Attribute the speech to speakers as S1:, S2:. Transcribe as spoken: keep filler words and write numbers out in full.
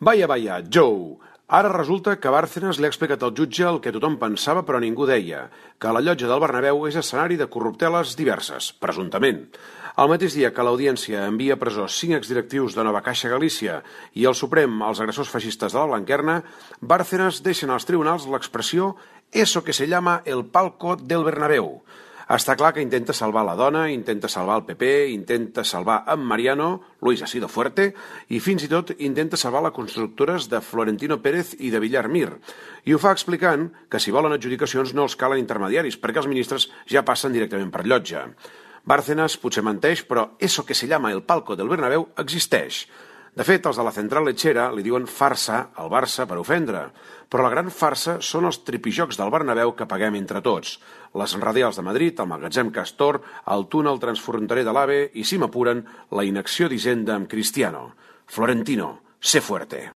S1: Vaya, vaya, Joe! Ara resulta que Bárcenas li ha explicat al jutge el que tothom pensava però ningú deia, que la llotja del Bernabéu és escenari de corrupteles diverses, presumptament. El mateix dia que l'Audiència envia a presó cinc exdirectius de Nova Caixa Galícia i el Suprem als agressors feixistes de la Blanquerna, Bárcenas deixa als tribunals l'expressió «eso que se llama el palco del Bernabéu». Està clar que intenta salvar la dona, intenta salvar el P P, intenta salvar en Mariano, Luis ha sido fuerte, i fins i tot intenta salvar les constructores de Florentino Pérez i de Villar Mir. I ho fa explicant que si volen adjudicacions no els calen intermediaris, perquè els ministres ja passen directament per llotja. Bárcenas potser menteix, però eso que se llama el palco del Bernabéu existeix. De fet, els de la Central Lechera li diuen farsa al Barça per ofendre, però la gran farsa són els tripijocs del Bernabéu que paguem entre tots. Les radials de Madrid, el magatzem Castor, el túnel transfronterer de l'AVE i, si m'apuren, la inacció d'Hisenda amb Cristiano. Florentino, sé fuerte.